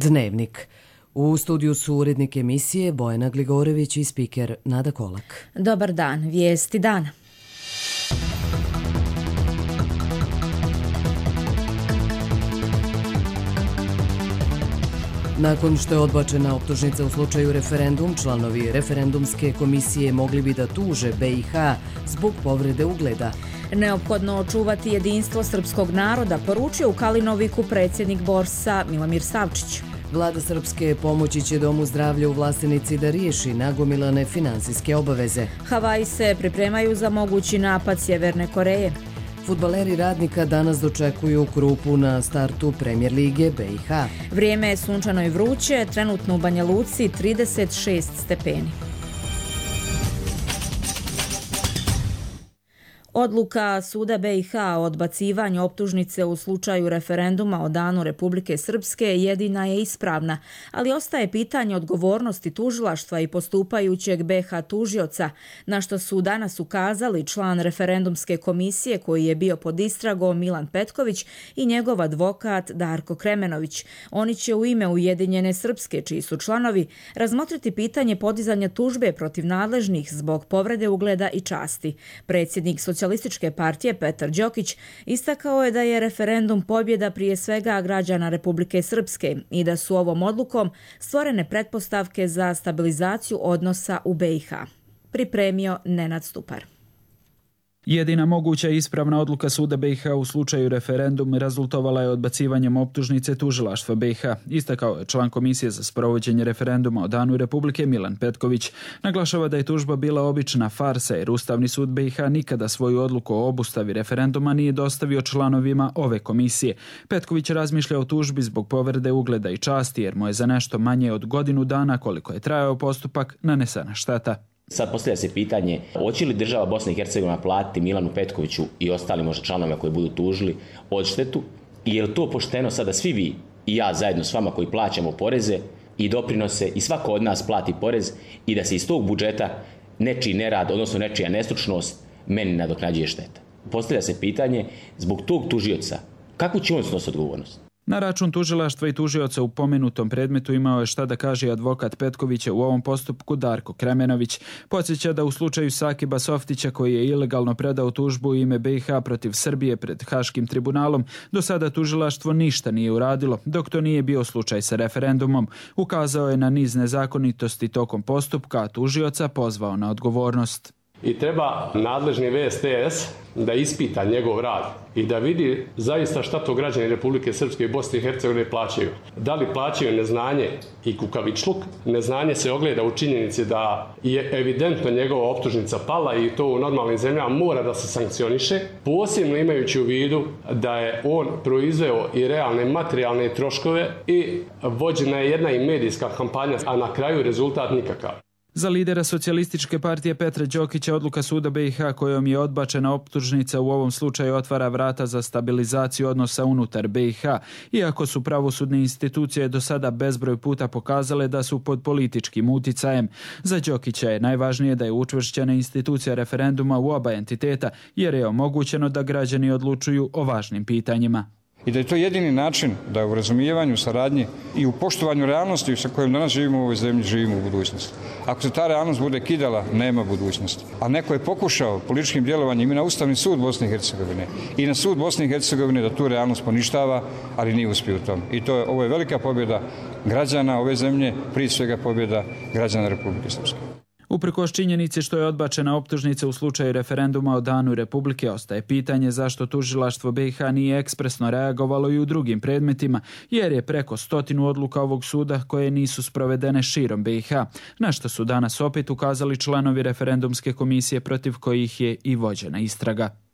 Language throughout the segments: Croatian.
Dnevnik. U studiju su urednik emisije Bojana Gligorević i spiker Nada Kolak. Dobar dan, vijesti dana. Nakon što je odbačena optužnica u slučaju referendum, članovi referendumske komisije mogli bi da tuže BiH zbog povrede ugleda. Neophodno očuvati jedinstvo srpskog naroda, poručio u Kalinoviku predsjednik Borsa Milomir Savčić. Vlada Srpske pomoći će Domu zdravlja u Vlastenici da riješi nagomilane finansijske obaveze. Havaji se pripremaju za mogući napad Sjeverne Koreje. Fudbaleri Radnika danas dočekuju Krupu na startu Premijer lige BiH. Vrijeme je sunčano i vruće, trenutno u Banja Luci 36 stepeni. Odluka Suda BiH o odbacivanju optužnice u slučaju referenduma o Danu Republike Srpske jedina je ispravna, ali ostaje pitanje odgovornosti tužilaštva i postupajućeg BiH tužioca, na što su danas ukazali član referendumske komisije koji je bio pod istragom Milan Petković i njegov advokat Darko Kremenović. Oni će u ime Ujedinjene Srpske, čiji su članovi, razmotriti pitanje podizanja tužbe protiv nadležnih zbog povrede ugleda i časti. Predsjednik Socijalističke partije Petar Đokić istakao je da je referendum pobjeda prije svega građana Republike Srpske i da su ovom odlukom stvorene pretpostavke za stabilizaciju odnosa u BiH. Pripremio Nenad Stupar. Jedina moguća ispravna odluka Suda BiH u slučaju referendum rezultovala je odbacivanjem optužnice tužilaštva BiH, istakao je član Komisije za sprovođenje referenduma o Danu Republike Milan Petković. Naglašava da je tužba bila obična farsa jer Ustavni sud BiH nikada svoju odluku o obustavi referenduma nije dostavio članovima ove komisije. Petković razmišlja o tužbi zbog povrede ugleda i časti jer mu je za nešto manje od godinu dana koliko je trajao postupak nanesena šteta. Sad postavlja se pitanje, hoće li država Bosna i Hercegovina platiti Milanu Petkoviću i ostalim možda članovima koji budu tužili odštetu i je li to pošteno sada svi vi i ja zajedno s vama koji plaćamo poreze i doprinose i svako od nas plati porez i da se iz tog budžeta nečiji nerad, odnosno nečija nestručnost meni nadoknađuje šteta. Postavlja se pitanje zbog tog tužioca, kakvu će on snositi odgovornost? Na račun tužilaštva i tužioca u pomenutom predmetu imao je šta da kaže advokat Petkovića u ovom postupku Darko Kremenović. Podsjeća da u slučaju Sakiba Softića koji je ilegalno predao tužbu u ime BiH protiv Srbije pred Haškim tribunalom, do sada tužilaštvo ništa nije uradilo, dok to nije bio slučaj sa referendumom. Ukazao je na niz nezakonitosti tokom postupka, a tužioca pozvao na odgovornost. I treba nadležni VSTS da ispita njegov rad i da vidi zaista šta to građani Republike Srpske i Bosne i Hercegovine plaćaju. Da li plaćaju neznanje i kukavičluk? Neznanje se ogleda u činjenici da je evidentno njegova optužnica pala i to u normalnim zemljama mora da se sankcioniše, posebno imajući u vidu da je on proizveo i realne materijalne troškove i vođena je jedna i medijska kampanja, a na kraju rezultat nikakav. Za lidera Socijalističke partije Petra Đokića odluka Suda BiH kojom je odbačena optužnica u ovom slučaju otvara vrata za stabilizaciju odnosa unutar BiH, iako su pravosudne institucije do sada bezbroj puta pokazale da su pod političkim uticajem. Za Đokića je najvažnije da je učvršćena institucija referenduma u oba entiteta, jer je omogućeno da građani odlučuju o važnim pitanjima. I da je to jedini način da u razumijevanju, saradnji i u poštovanju realnosti sa kojom danas živimo u ovoj zemlji, živimo u budućnosti. Ako se ta realnost bude kidala, nema budućnosti. A neko je pokušao političkim djelovanjem i na Ustavni sud Bosne i Hercegovine i na sud Bosne i Hercegovine da tu realnost poništava, ali nije uspio u tom. I ovo je velika pobjeda građana ove zemlje, prije svega pobjeda građana Republike Srpske. Uprkos činjenici što je odbačena optužnica u slučaju referenduma o Danu Republike, ostaje pitanje zašto tužilaštvo BiH nije ekspresno reagovalo i u drugim predmetima, jer je preko 100 odluka ovog suda koje nisu sprovedene širom BiH, na što su danas opet ukazali članovi referendumske komisije protiv kojih je i vođena istraga.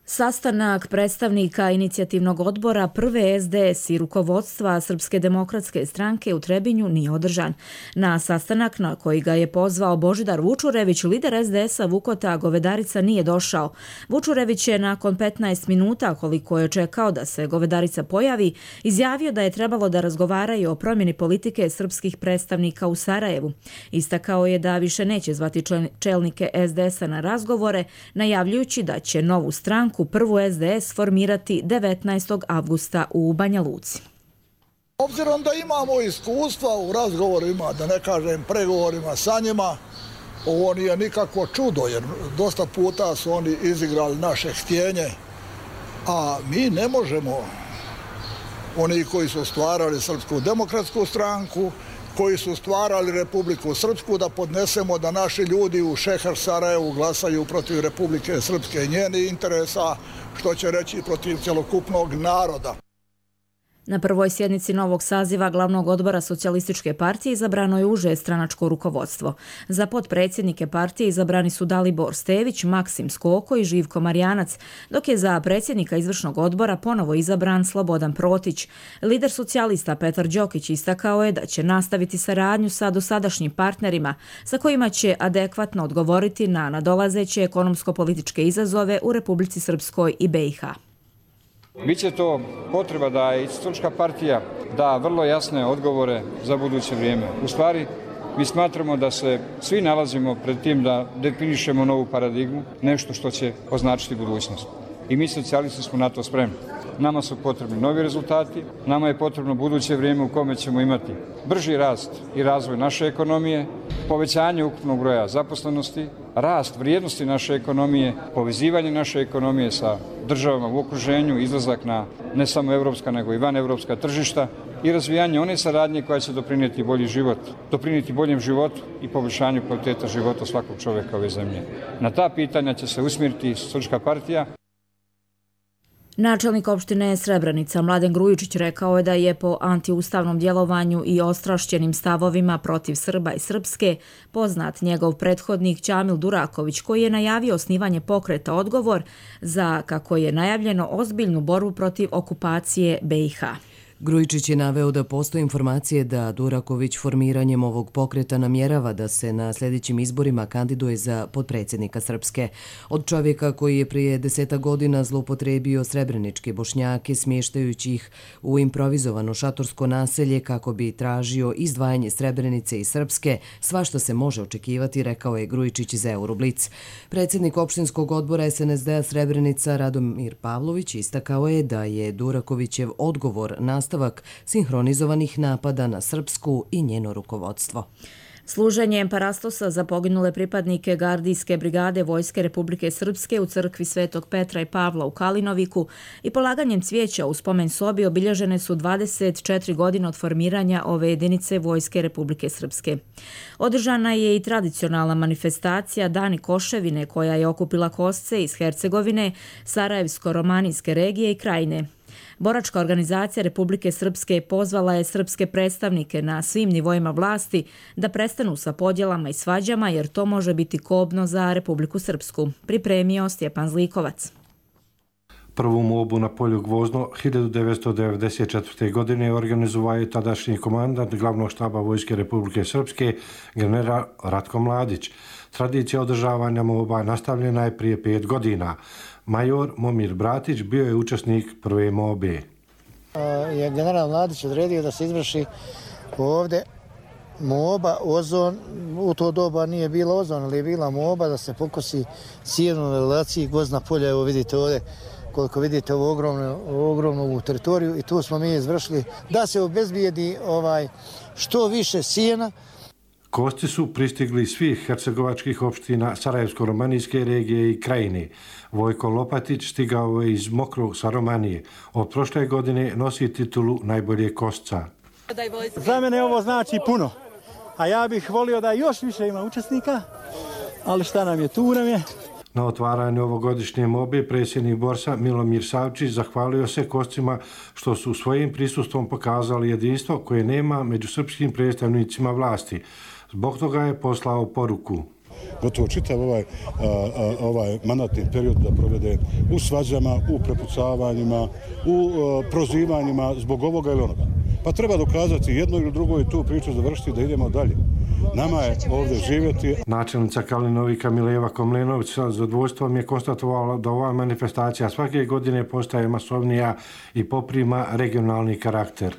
Sastanak predstavnika inicijativnog odbora prve SDS i rukovodstva Srpske demokratske stranke u Trebinju nije održan. Na sastanak na koji ga je pozvao Božidar Vučurević, lider SDS-a Vukota Govedarica nije došao. Vučurević je nakon 15 minuta, koliko je čekao da se Govedarica pojavi, izjavio da je trebalo da razgovaraju o promjeni politike srpskih predstavnika u Sarajevu. Istakao je da više neće zvati čelnike SDS-a na razgovore, najavljujući da će novu stranku prvu SDS formirati 19. avgusta u Banja Luci. Obzirom da imamo iskustva u razgovorima, da ne kažem pregovorima sa njima, ovo nije nikakvo čudo, jer dosta puta su oni izigrali naše htjenje, a mi ne možemo, oni koji su stvarali Srpsku demokratsku stranku, koji su stvarali Republiku Srpsku, da podnesemo da naši ljudi u Šeher Sarajevu glasaju protiv Republike Srpske i njenih interesa, što će reći protiv cjelokupnog naroda. Na prvoj sjednici novog saziva glavnog odbora Socijalističke partije izabrano je uže stranačko rukovodstvo. Za potpredsjednike partije izabrani su Dalibor Stević, Maksim Skoko i Živko Marjanac, dok je za predsjednika izvršnog odbora ponovo izabran Slobodan Protić. Lider socijalista Petar Đokić istakao je da će nastaviti saradnju sa dosadašnjim partnerima sa kojima će adekvatno odgovoriti na nadolazeće ekonomsko-političke izazove u Republici Srpskoj i BiH. Biće to potreba da i Socijalistička partija da vrlo jasne odgovore za buduće vrijeme. U stvari, mi smatramo da se svi nalazimo pred tim da definišemo novu paradigmu, nešto što će označiti budućnost. I mi socijalisti smo na to spremni. Nama su potrebni novi rezultati, nama je potrebno buduće vrijeme u kome ćemo imati brži rast i razvoj naše ekonomije, povećanje ukupnog broja zaposlenosti, rast vrijednosti naše ekonomije, povezivanje naše ekonomije sa državama u okruženju, izlazak na ne samo evropska nego i vanevropska tržišta i razvijanje one saradnje koja će doprinijeti bolji život, doprinijeti boljem životu i poboljšanju kvaliteta života svakog čovjeka ove zemlje. Na ta pitanja će se usmjeriti Socijalistička partija. Načelnik opštine Srebrenica Mladen Grujičić rekao je da je po antiustavnom djelovanju i ostrašćenim stavovima protiv Srba i Srpske poznat njegov prethodnik Ćamil Duraković, koji je najavio osnivanje pokreta Odgovor za, kako je najavljeno, ozbiljnu borbu protiv okupacije BiH. Grujičić je naveo da postoje informacije da Duraković formiranjem ovog pokreta namjerava da se na sljedećim izborima kandiduje za potpredsjednika Srpske. Od čovjeka koji je prije 10 godina zloupotrebio srebreničke Bošnjake smještajući ih u improvizovano šatorsko naselje kako bi tražio izdvajanje Srebrenice i Srpske, svašta se može očekivati, rekao je Grujičić za Euroblic. Predsjednik opštinskog odbora SNSD-a Srebrenica Radomir Pavlović istakao je da je Durakovićev odgovor nastavak sinhronizovanih napada na Srpsku i njeno rukovodstvo. Služenjem parastosa za poginule pripadnike gardijske brigade Vojske Republike Srpske u crkvi Svetog Petra i Pavla u Kalinoviku i polaganjem cvijeća u spomen sobi obilježene su 24 godine od formiranja ove jedinice Vojske Republike Srpske. Održana je i tradicionalna manifestacija Dani Koševine koja je okupila kosce iz Hercegovine, Sarajevsko-romanijske regije i Krajine. Boračka organizacija Republike Srpske pozvala je srpske predstavnike na svim nivoima vlasti da prestanu sa podjelama i svađama jer to može biti kobno za Republiku Srpsku, pripremio Stjepan Zlikovac. Prvu mobu na polju Gvozdno 1994. godine organizovao je tadašnji komandant glavnog štaba Vojske Republike Srpske, general Ratko Mladić. Tradicija održavanja moba nastavljena je prije 5 godina. Major Momir Bratić bio je učesnik prve mobe. Je general Mladić odredio da se izvrši ovdje moba, ozon. U to doba nije bila ozon, ali je bila moba da se pokosi sjeno na relaciji Gvozdna polja. Evo vidite ovdje, koliko vidite ovu ogromnu teritoriju i tu smo mi izvršili da se obezbijedi što više sjena. Kosti su pristigli iz svih hercegovačkih opština Sarajevsko-romanijske regije i Krajine. Vojko Lopatić stigao je iz Mokrog sa Romanije. Od prošle godine nosi titulu najbolje kosca. Za mene ovo znači puno, a ja bih volio da još više ima učesnika, ali šta nam je, tu nam je. Na otvaranju ovogodišnje mobe predsjednik Borsa Milomir Savčić zahvalio se koscima što su svojim prisustvom pokazali jedinstvo koje nema među srpskim predstavnicima vlasti. Zbog toga je poslao poruku. Gotovo čitav ovaj mandatni period da provede u svađama, u prepucavanjima, u prozivanjima zbog ovoga ili onoga. Pa treba dokazati jedno ili drugo i tu priču završiti da idemo dalje. Nama je ovdje živjeti. Načelnica Kalinovika Mileva Komlenović sa zadovoljstvom je konstatovala da ova manifestacija svake godine postaje masovnija i poprima regionalni karakter.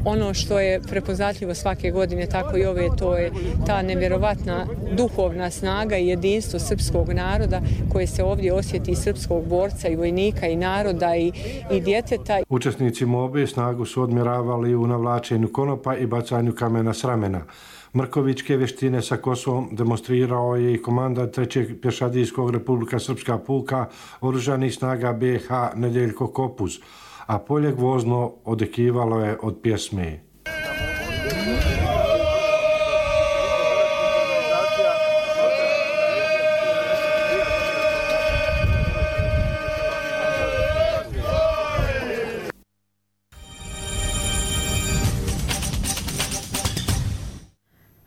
Ono što je prepoznatljivo svake godine, tako i ove, to je ta nevjerovatna duhovna snaga i jedinstvo srpskog naroda koje se ovdje osjeti, srpskog borca i vojnika i naroda i djeteta. Učesnici mobe snagu su odmjeravali u navlačenju konopa i bacanju kamena s ramena. Mrkovićke vještine sa Kosovom demonstrirao je i komandant 3. pješadijskog Republika Srpska puka oružanih snaga BiH Nedeljko Kopuz, a polje Gvozno odekivalo je od pjesme.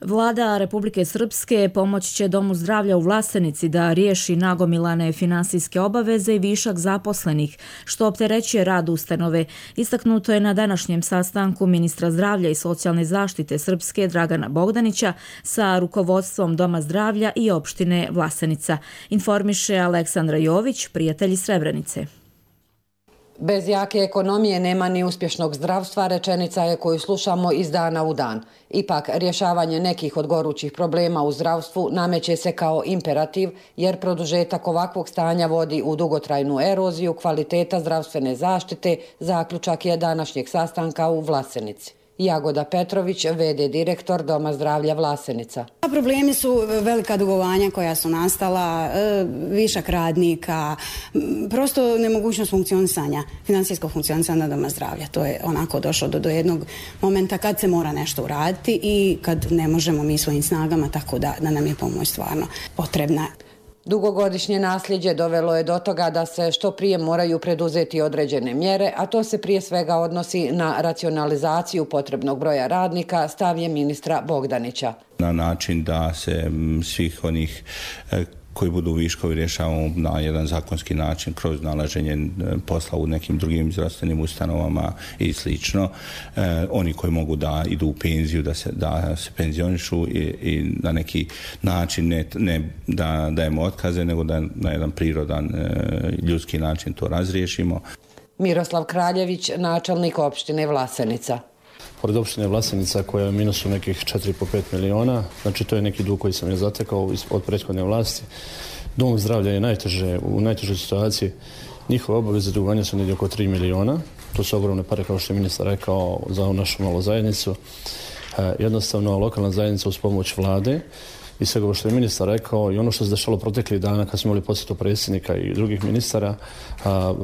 Vlada Republike Srpske pomoći će Domu zdravlja u Vlasenici da riješi nagomilane finansijske obaveze i višak zaposlenih, što opterećuje rad ustanove. Istaknuto je na današnjem sastanku ministra zdravlja i socijalne zaštite Srpske Dragana Bogdanića sa rukovodstvom Doma zdravlja i opštine Vlasenica. Informiše Aleksandra Jović, prijatelji Srebrenice. Bez jake ekonomije nema ni uspješnog zdravstva, rečenica je koju slušamo iz dana u dan. Ipak, rješavanje nekih od gorućih problema u zdravstvu nameće se kao imperativ, jer produžetak ovakvog stanja vodi u dugotrajnu eroziju kvaliteta zdravstvene zaštite, zaključak je današnjeg sastanka u Vlasenici. Jagoda Petrović, v.d. direktor Doma zdravlja Vlasenica. Problemi su velika dugovanja koja su nastala, višak radnika, prosto nemogućnost funkcionisanja, financijskog funkcionisanja Doma zdravlja. To je onako došlo do jednog momenta kad se mora nešto uraditi i kad ne možemo mi svojim snagama, tako da nam je pomoć stvarno potrebna. Dugogodišnje nasljeđe dovelo je do toga da se što prije moraju preduzeti određene mjere, a to se prije svega odnosi na racionalizaciju potrebnog broja radnika, stav je ministra Bogdanića. Na način da se svih onih koji budu viškovi rješavamo na jedan zakonski način kroz nalaženje posla u nekim drugim zdravstvenim ustanovama i slično. Oni koji mogu da idu u penziju, da se penzionišu i na neki način ne da dajemo otkaze, nego da na jedan prirodan ljudski način to razriješimo. Miroslav Kraljević, načelnik opštine Vlasenica. Pored opštine Vlasenica koja je u minusu nekih 4,5 miliona, znači to je neki dug koji sam je zatekao od prethodne vlasti. Dom zdravlja je u najtežoj situaciji. Njihove obaveze dugovanja su negdje oko 3 miliona. To su ogromne pare, kao što je ministar rekao, za našu malu zajednicu. Jednostavno, lokalna zajednica uz pomoć vlade i svega ovo što je ministar rekao i ono što se dešalo proteklih dana kad smo imali posjetu predsjednika i drugih ministara,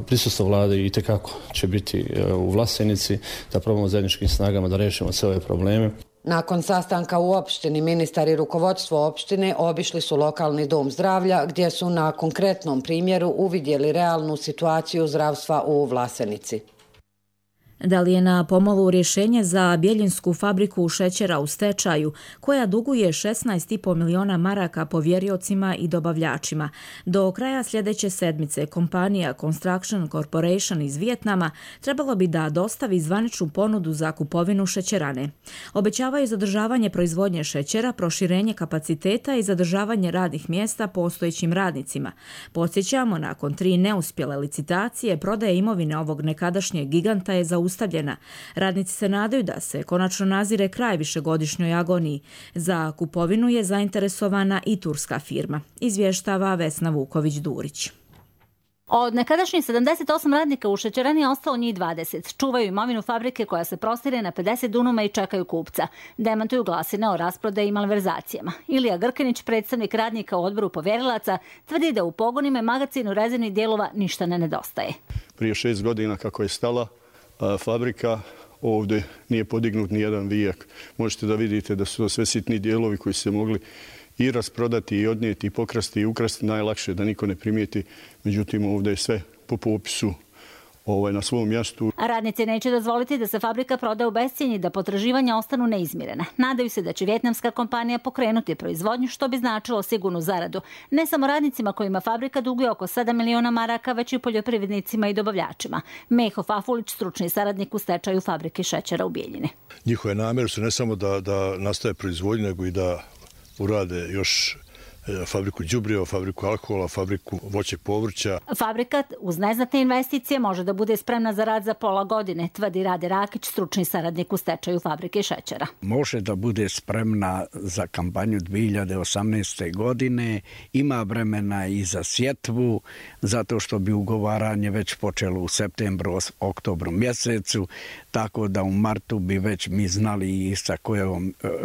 prisustvo vlade itekako će biti u Vlasenici da probamo zajedničkim snagama da rešimo sve ove probleme. Nakon sastanka u opštini, ministar i rukovodstvo opštine obišli su lokalni dom zdravlja gdje su na konkretnom primjeru uvidjeli realnu situaciju zdravstva u Vlasenici. Da li je na pomolu rješenje za Bjeljinsku fabriku šećera u stečaju, koja duguje 16,5 miliona maraka povjeriocima i dobavljačima? Do kraja sljedeće sedmice kompanija Construction Corporation iz Vijetnama trebalo bi da dostavi zvaničnu ponudu za kupovinu šećerane. Obećavaju zadržavanje proizvodnje šećera, proširenje kapaciteta i zadržavanje radnih mjesta postojećim radnicima. Podsjećamo, nakon 3 neuspjele licitacije, prodaja imovine ovog nekadašnjeg giganta je zaustavljena. Radnici se nadaju da se konačno nazire kraj višegodišnjoj agoniji. Za kupovinu je zainteresovana i turska firma, izvještava Vesna Vuković-Durić. Od nekadašnjih 78 radnika u šećerani je ostalo njih 20. Čuvaju imovinu fabrike koja se prostire na 50 dunuma i čekaju kupca. Demantuju glasine o rasprodaji i malverzacijama. Ilija Grkanić, predstavnik radnika u odboru povjerilaca, tvrdi da u pogonima i magacinu rezervnih dijelova ništa ne nedostaje. Prije 6 godina kako je stala fabrika, ovdje nije podignut ni jedan vijak. Možete da vidite da su to sve sitni dijelovi koji su se mogli i rasprodati i odnijeti i pokrasti i ukrasti najlakše da niko ne primijeti. Međutim, ovdje je sve po popisu na svom mjestu. Radnici neće dozvoliti da se fabrika proda u bescijenje i da potraživanja ostanu neizmirena. Nadaju se da će vjetnamska kompanija pokrenuti proizvodnju, što bi značilo sigurnu zaradu. Ne samo radnicima kojima fabrika duguje oko 7 miliona maraka, već i poljoprivrednicima i dobavljačima. Meho Fafulić, stručni saradnik u stečaju fabrike šećera u Bijeljini. Njihove namjere su ne samo da nastave proizvodnju, nego i da urade još fabriku đubriva, fabriku alkohola, fabriku voće povrća. Fabrika uz neznatne investicije može da bude spremna za rad za pola godine, tvrdi Rade Rakić, stručni saradnik u stečaju fabrike šećera. Može da bude spremna za kampanju 2018. godine, ima vremena i za sjetvu, zato što bi ugovaranje već počelo u septembru, oktobru mjesecu, tako da u martu bi već mi znali i sa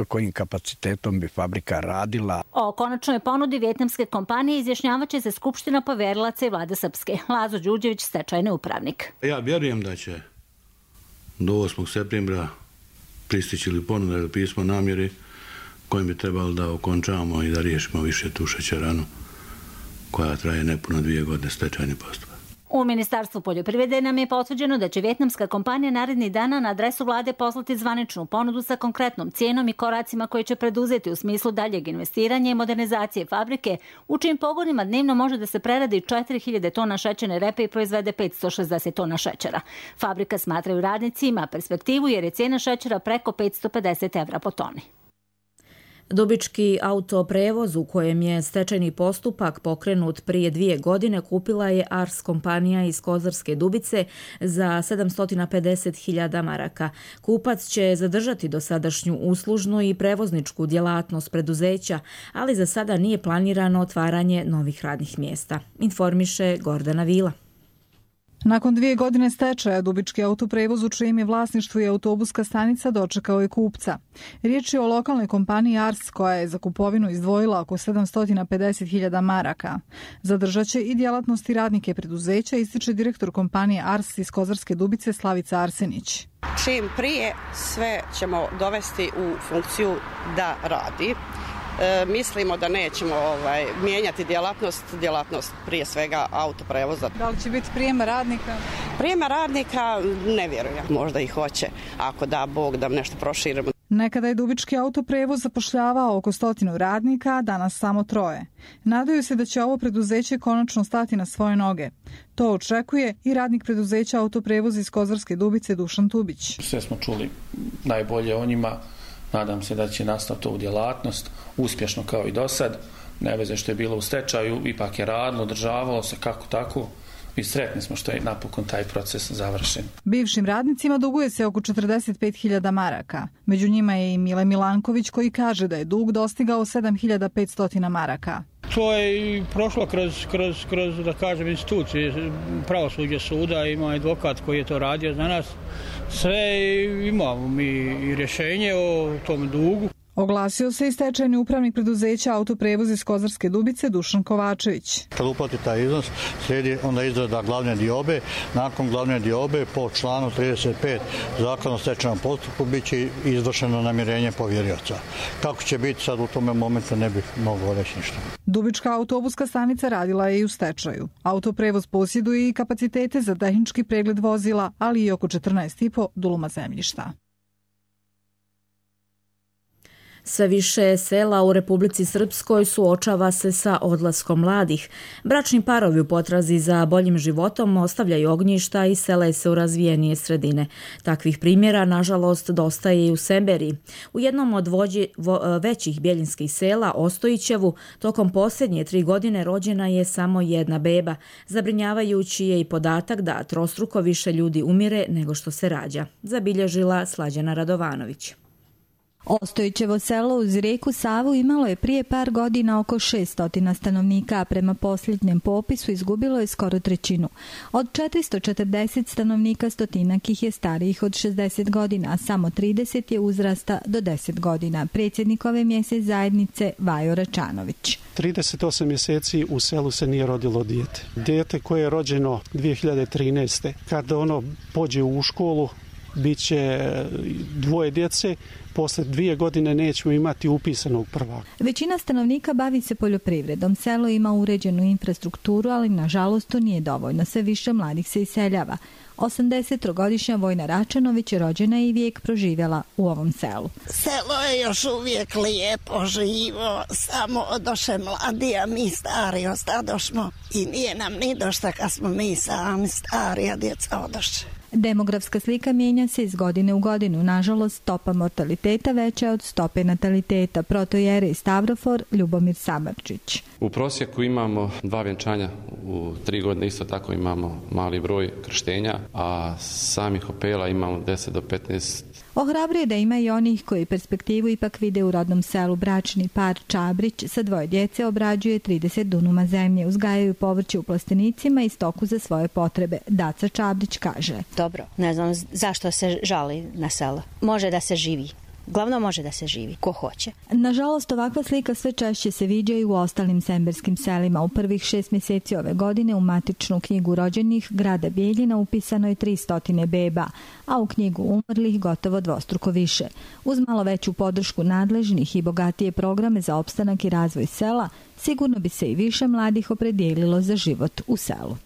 kojim kapacitetom bi fabrika radila. O konačnoj ponudi vijetnamske kompanije izjašnjavaće se Skupština poverilaca i vlade Srpske. Lazo Đurđević, stečajni upravnik. Ja vjerujem da će do 8. septembra pristići ili ponuda ili pismo namjeri kojim bi trebalo da okončamo i da riješimo više tu šećeranu koja traje nepuno 2 godine stečajni postupak. U Ministarstvu poljoprivrede nam je potvrđeno da će vijetnamska kompanija narednih dana na adresu vlade poslati zvaničnu ponudu sa konkretnom cijenom i koracima koje će preduzeti u smislu daljeg investiranja i modernizacije fabrike, u čijim pogonima dnevno može da se preradi 4000 tona šećerne repe i proizvede 560 tona šećera. Fabrika, smatraju radnici, ima perspektivu jer je cijena šećera preko 550 evra po toni. Dubički autoprevoz u kojem je stečajni postupak pokrenut prije 2 godine kupila je Ars kompanija iz Kozarske Dubice za 750.000 maraka. Kupac će zadržati dosadašnju uslužnu i prevozničku djelatnost preduzeća, ali za sada nije planirano otvaranje novih radnih mjesta, informiše Gordana Vila. Nakon 2 godine stečaja, Dubički autoprevoz u čijem je vlasništvu i autobuska stanica dočekao je kupca. Riječ je o lokalnoj kompaniji Ars koja je za kupovinu izdvojila oko 750.000 maraka. Zadržat će i djelatnost i radnike preduzeća, ističe direktor kompanije Ars iz Kozarske Dubice Slavica Arsenić. Čim prije sve ćemo dovesti u funkciju da radi. Mislimo da nećemo mijenjati djelatnost prije svega autoprevoza. Da li će biti prijema radnika? Prijema radnika ne vjerujem. Možda i hoće, ako da Bog da nešto proširimo. Nekada je Dubički autoprevoz zapošljavao oko 100 radnika, danas samo 3. Nadaju se da će ovo preduzeće konačno stati na svoje noge. To očekuje i radnik preduzeća autoprevoz iz Kozarske Dubice Dušan Tubić. Sve smo čuli najbolje o njima. Nadam se da će nastaviti ovu djelatnost uspješno kao i do sad. Ne veze što je bilo u stečaju, ipak je radilo, održavalo se kako tako i sretni smo što je napokon taj proces završen. Bivšim radnicima duguje se oko 45.000 maraka. Među njima je i Mile Milanković koji kaže da je dug dostigao 7.500 maraka. To je i prošlo kroz da kažem, institucije pravosuđa suda, ima advokat koji je to radio za nas. Sve imamo mi i rješenje o tom dugu. Oglasio se i stečajni upravnik preduzeća autoprevoz iz Kozarske Dubice Dušan Kovačević. Kad uplati taj iznos, slijedi onda izrada glavne diobe. Nakon glavne diobe po članu 35 Zakona o stečajnom postupku bit će izvršeno namirenje povjerioca. Kako će biti sad u tome momentu ne bih mogao reći ništa. Dubička autobuska stanica radila je i u stečaju. Autoprevoz posjeduje i kapacitete za tehnički pregled vozila, ali i oko 14,5 duluma zemljišta. Sve više sela u Republici Srpskoj suočava se sa odlaskom mladih. Bračni parovi u potrazi za boljim životom ostavljaju ognjišta i sele se u razvijenije sredine. Takvih primjera, nažalost, dosta je i u Semberiji. U jednom od većih bjeljinskih sela, Ostojićevu, tokom posljednje 3 godine rođena je samo jedna beba. Zabrinjavajući je i podatak da trostruko više ljudi umire nego što se rađa, zabilježila Slađana Radovanović. Ostojićevo selo uz rijeku Savu imalo je prije par godina oko 600 stanovnika, a prema posljednjem popisu izgubilo je skoro trećinu. Od 440 stanovnika stotinak ih je starijih od 60 godina, a samo 30 je uzrasta do 10 godina. Predsjednik ove mjesec zajednice Vajo Račanović. 38 mjeseci u selu se nije rodilo dijete. Dijete koje je rođeno 2013. Kada ono pođe u školu, bit će 2 djece, posle 2 godine nećemo imati upisanog prvaka. Većina stanovnika bavi se poljoprivredom. Selo ima uređenu infrastrukturu, ali nažalost to nije dovoljno. Sve više mladih se iseljava. 83-godišnja Vojna Račanović rođena je i vijek proživjela u ovom selu. Selo je još uvijek lijepo, živo, samo odoše mladi, a mi stari ostadošmo i nije nam ni došta kad smo mi sami stari, a djeca odoše. Demografska slika mijenja se iz godine u godinu. Nažalost, stopa mortaliteta veća od stope nataliteta. Protojere Stavrofor Ljubomir Samardžić. U prosjeku imamo 2 vjenčanja u 3 godine, isto tako imamo mali broj krštenja, a samih opela imamo 10 do 15. Ohrabruje da ima i onih koji perspektivu ipak vide u rodnom selu. Bračni par Čabrić sa 2 djece obrađuje 30 dunuma zemlje. Uzgajaju povrće u plastenicima i stoku za svoje potrebe. Daca Čabrić kaže: Dobro, ne znam zašto se žali na selo. Može da se živi. Glavno može da se živi, ko hoće. Nažalost, ovakva slika sve češće se viđa i u ostalim semberskim selima. U prvih 6 mjeseci ove godine u matičnu knjigu rođenih grada Bijeljina upisano je 300 beba, a u knjigu umrlih gotovo dvostruko više. Uz malo veću podršku nadležnih i bogatije programe za opstanak i razvoj sela, sigurno bi se i više mladih opredijelilo za život u selu.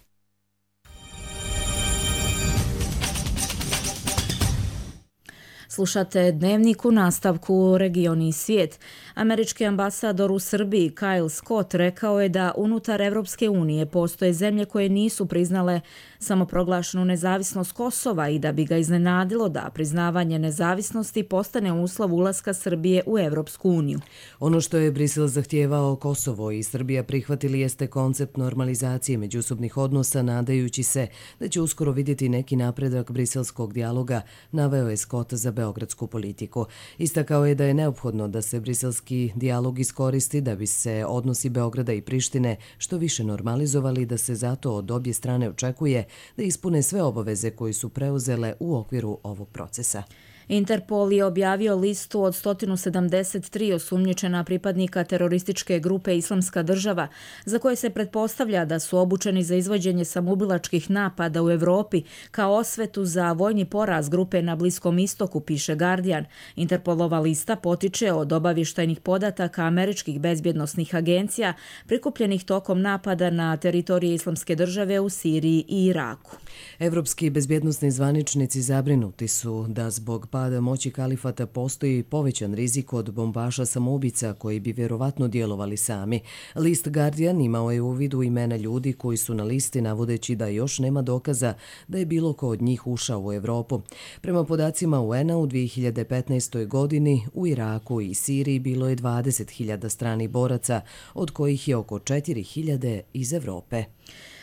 Slušate Dnevnik, u nastavku Regioni i svijet. Američki ambasador u Srbiji Kyle Scott rekao je da unutar Evropske unije postoje zemlje koje nisu priznale samoproglašenu nezavisnost Kosova i da bi ga iznenadilo da priznavanje nezavisnosti postane uslov ulaska Srbije u Evropsku uniju. Ono što je Brisel zahtijevao Kosovo i Srbija prihvatili jeste koncept normalizacije međusobnih odnosa, nadajući se da će uskoro vidjeti neki napredak briselskog dijaloga, naveo je Scott za beogradsku politiku. Istakao je da je neophodno da se briselski dijalog iskoristi da bi se odnosi Beograda i Prištine što više normalizovali, da se zato od obje strane očekuje da ispune sve obaveze koje su preuzele u okviru ovog procesa. Interpol je objavio listu od 173 osumnjičena pripadnika terorističke grupe Islamska država, za koje se pretpostavlja da su obučeni za izvođenje samoubilačkih napada u Evropi kao osvetu za vojni poraz grupe na Bliskom istoku, piše Guardian. Interpolova lista potiče od obavještajnih podataka američkih bezbjednosnih agencija prikupljenih tokom napada na teritorije Islamske države u Siriji i Iraku. Evropski bezbjednosni zvaničnici zabrinuti su da zbog pada moći kalifata postoji povećan rizik od bombaša samoubica koji bi vjerovatno djelovali sami. List Guardian imao je u vidu imena ljudi koji su na listi, navodeći da još nema dokaza da je bilo ko od njih ušao u Evropu. Prema podacima UN-a u 2015. godini u Iraku i Siriji bilo je 20.000 stranih boraca, od kojih je oko 4.000 iz Evrope.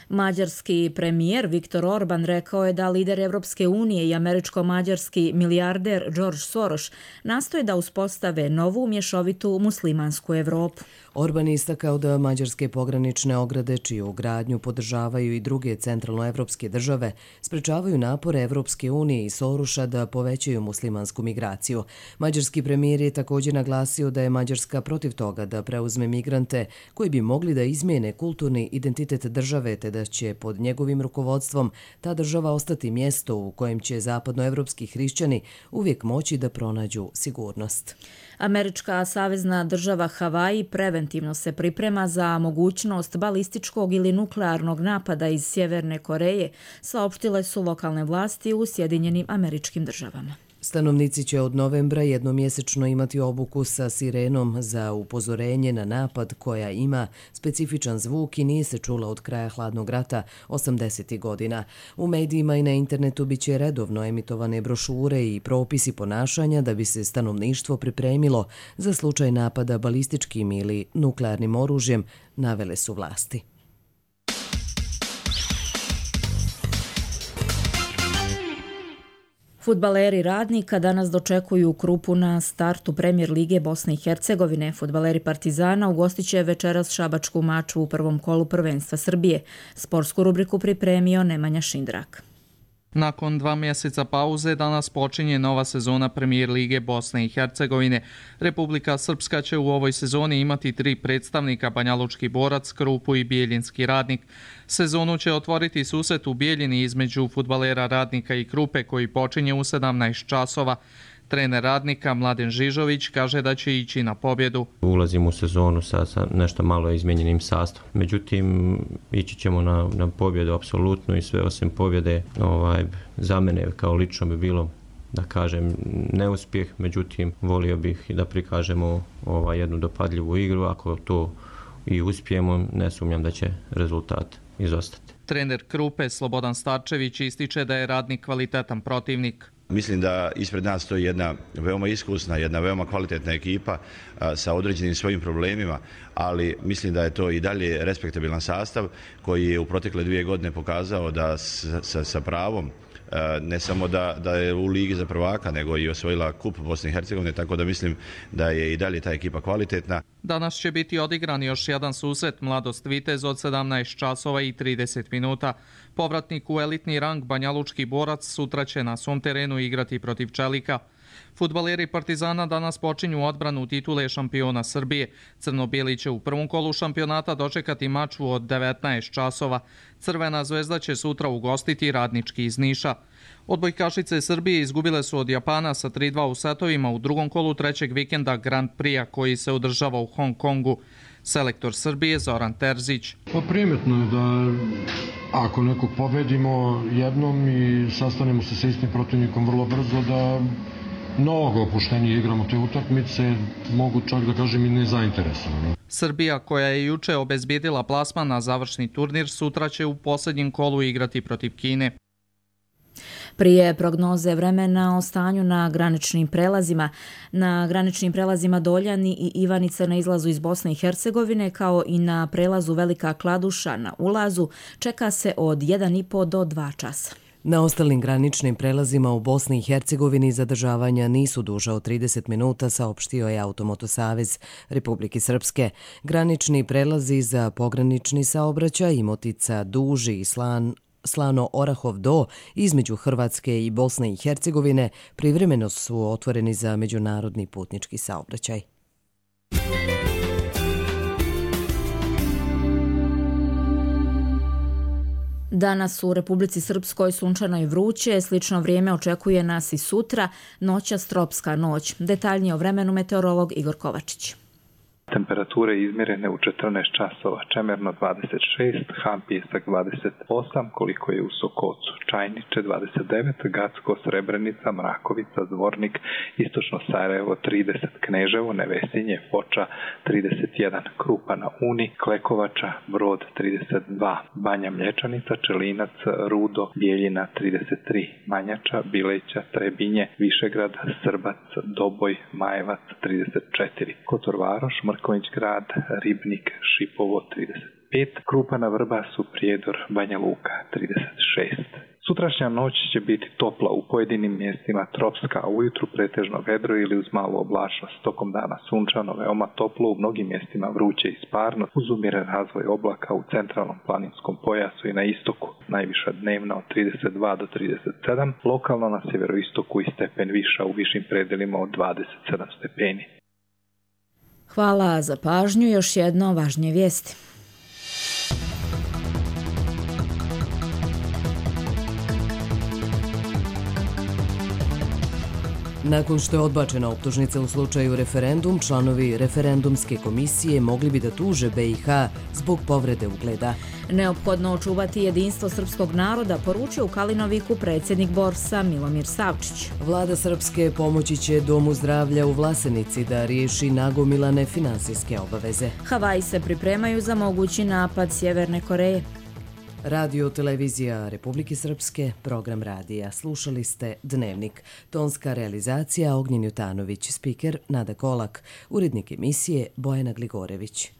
Mađarski premijer Viktor Orban rekao je da lider Evropske unije i američko-mađarski milijarder George Soros nastoje da uspostave novu mješovitu muslimansku Evropu. Orban istakao da mađarske pogranične ograde, čiju gradnju podržavaju i druge centralnoevropske države, sprečavaju napore Evropske unije i Soroša da povećaju muslimansku migraciju. Mađarski premijer je također naglasio da je Mađarska protiv toga da preuzme migrante koji bi mogli da izmijene kulturni identitet države, te da će pod njegovim rukovodstvom ta država ostati mjesto u kojem će zapadnoevropski hrišćani uvijek moći da pronađu sigurnost. Američka savezna država Havaji preventivno se priprema za mogućnost balističkog ili nuklearnog napada iz Sjeverne Koreje, saopštile su lokalne vlasti u Sjedinjenim Američkim Državama. Stanovnici će od novembra jednomjesečno imati obuku sa sirenom za upozorenje na napad koja ima specifičan zvuk i nije se čula od kraja hladnog rata 80. godina. U medijima i na internetu bit će redovno emitovane brošure i propisi ponašanja da bi se stanovništvo pripremilo za slučaj napada balističkim ili nuklearnim oružjem, navele su vlasti. Fudbaleri Radnika danas dočekuju Krupu na startu Premijer Lige Bosne i Hercegovine. Fudbaleri Partizana ugostit će večeras šabačku maču u prvom kolu prvenstva Srbije. Sportsku rubriku pripremio Nemanja Šindrak. Nakon 2 mjeseca pauze danas počinje nova sezona Premijer Lige Bosne i Hercegovine. Republika Srpska će u ovoj sezoni imati 3 predstavnika, Banjalučki Borac, Krupu i Bijeljinski Radnik. Sezonu će otvoriti susret u Bijeljini između fudbalera Radnika i Krupe koji počinje u 17 časova. Trener Radnika Mladen Žižović kaže da će ići na pobjedu. Ulazimo u sezonu sa nešto malo izmijenjenim sastavom. Međutim, ići ćemo na pobjedu apsolutno i sve osim pobjede. Za mene kao lično bi bilo, da kažem, neuspjeh, međutim volio bih da prikažemo jednu dopadljivu igru. Ako to i uspijemo, ne sumnjam da će rezultat izostati. Trener Krupe Slobodan Starčević ističe da je Radnik kvalitetan protivnik. Mislim da ispred nas stoji jedna veoma iskusna, jedna veoma kvalitetna ekipa sa određenim svojim problemima, ali mislim da je to i dalje respektabilan sastav koji je u protekle 2 godine pokazao da sa pravom ne samo da je u Ligi za prvaka, nego i osvojila kup Bosne i Hercegovine, tako da mislim da je i dalje ta ekipa kvalitetna. Danas će biti odigran još jedan susret Mladost Vitez od 17 časova i 30 minuta. Povratnik u elitni rang Banjalučki Borac sutra će na svom terenu igrati protiv Čelika. Fudbaleri Partizana danas počinju odbranu titule šampiona Srbije. Crno-bijeli će u prvom kolu šampionata dočekati maču od 19 časova. Crvena zvezda će sutra ugostiti Radnički iz Niša. Odbojkašice Srbije izgubile su od Japana sa 3-2 u setovima u drugom kolu trećeg vikenda Grand Prix-a koji se održava u Hong Kongu. Selektor Srbije Zoran Terzić. Primetno je da ako nekog pobedimo jednom i sastanemo se sa istim protivnikom vrlo brzo, da mnogo opuštenije igramo te utakmice, mogu čak da kažem i nezainteresovano. Srbija, koja je juče obezbijedila plasman na završni turnir, sutra će u posljednjem kolu igrati protiv Kine. Prije prognoze vremena o stanju na graničnim prelazima. Na graničnim prelazima Doljani i Ivanica na izlazu iz Bosne i Hercegovine, kao i na prelazu Velika Kladuša na ulazu, čeka se od 1,5 do 2 časa. Na ostalim graničnim prelazima u Bosni i Hercegovini zadržavanja nisu duža od 30 minuta, saopštio je Automotosavez Republike Srpske. Granični prelazi za pogranični saobraćaj Imotica, Duži i Slano-Orahov do između Hrvatske i Bosne i Hercegovine privremeno su otvoreni za međunarodni putnički saobraćaj. Danas u Republici Srpskoj sunčano i vruće, slično vrijeme očekuje nas i sutra, noćas tropska noć. Detaljnije o vremenu meteorolog Igor Kovačić. Temperature izmjerene u 14 časova, Čemerno 26, Han Pijesak 28, koliko je u Sokocu, Čajniče 29, Gacko, Srebrenica, Mrakovica, Zvornik, Istočno Sarajevo 30, Kneževo, Nevesinje, Foča 31, Krupa na Uni, Klekovača, Brod 32, Banja Mlječanica, Čelinac, Rudo, Bijeljina 33, Manjača, Bileća, Trebinje, Višegrad, Srbac, Doboj, Majevac 34, Kotor Varoš, Mrkonjić Grad, Ribnik, Šipovo 35, Krupana Vrbasu, Prijedor, Banja Luka 36. Sutrašnja noć će biti topla u pojedinim mjestima tropska, a ujutru pretežno vedro ili uz malu oblačnost. Tokom dana sunčano, veoma toplo, u mnogim mjestima vruće i sparno, uz umjeren razvoj oblaka u centralnom planinskom pojasu i na istoku. Najviša dnevna od 32 do 37, lokalno na sjeveroistoku i stepen viša u višim predelima od 27 stepeni. Hvala za pažnju. Još jedno važnije vijesti. Nakon što je odbačena optužnica u slučaju referendum, članovi referendumske komisije mogli bi da tuže BiH zbog povrede ugleda. Neophodno očuvati jedinstvo srpskog naroda, poručio u Kalinoviku predsjednik Borsa Milomir Savčić. Vlada Srpske pomoći će Domu zdravlja u Vlasenici da riješi nagomilane finansijske obaveze. Havaji se pripremaju za mogući napad Sjeverne Koreje. Radio televizija Republike Srpske, program radija. Slušali ste Dnevnik. Tonska realizacija Ognjen Jutanović, spiker Nada Kolak, urednik emisije Bojana Gligorević.